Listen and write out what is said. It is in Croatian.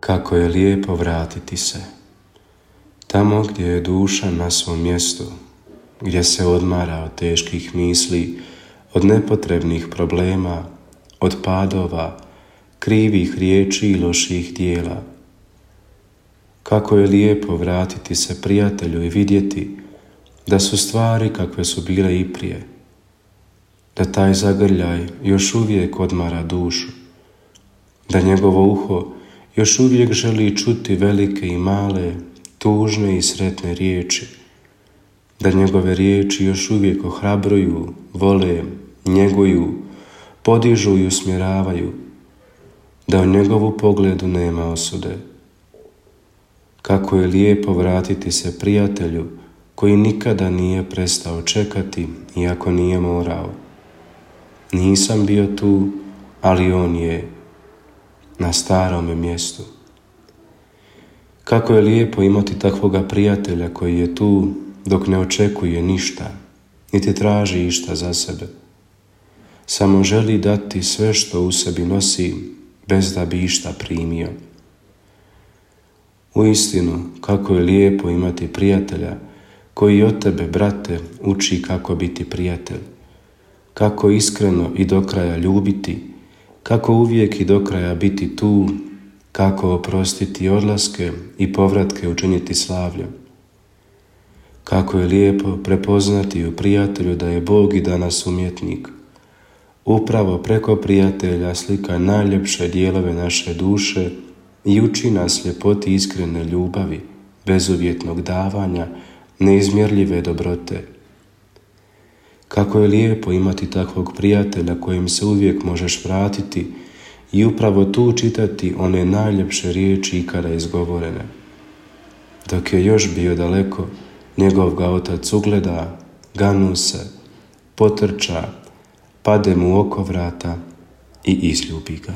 Kako je lijepo vratiti se. Tamo gdje je duša na svom mjestu, gdje se odmara od teških misli, od nepotrebnih problema, od padova, krivih riječi i loših dijela. Kako je lijepo vratiti se prijatelju i vidjeti da su stvari kakve su bile i prije, da taj zagrljaj još uvijek odmara dušu, da njegovo uho još uvijek želi čuti velike i male, tužne i sretne riječi, da njegove riječi još uvijek ohrabruju, vole, njeguju, podižu i usmjeravaju, da u njegovu pogledu nema osude. Kako je lijepo vratiti se prijatelju koji nikada nije prestao čekati iako nije morao. Nisam bio tu, ali on je na starome mjestu. Kako je lijepo imati takvoga prijatelja koji je tu dok ne očekuje ništa, niti traži išta za sebe. Samo želi dati sve što u sebi nosi, bez da bi išta primio. Uistinu, kako je lijepo imati prijatelja koji od tebe, brate, uči kako biti prijatelj, kako iskreno i do kraja ljubiti, kako uvijek i do kraja biti tu, kako oprostiti odlaske i povratke učiniti slavljem. Kako je lijepo prepoznati u prijatelju da je Bog i danas umjetnik. Upravo preko prijatelja slika najljepše dijelove naše duše i uči nas ljepoti iskrene ljubavi, bezuvjetnog davanja, neizmjerljive dobrote. Kako je lijepo imati takvog prijatelja kojem se uvijek možeš vratiti i upravo tu čitati one najljepše riječi ikada izgovorene. Dok je još bio daleko, njegov ga otac ugleda, ganu se, potrča, pade mu oko vrata i izljubi ga.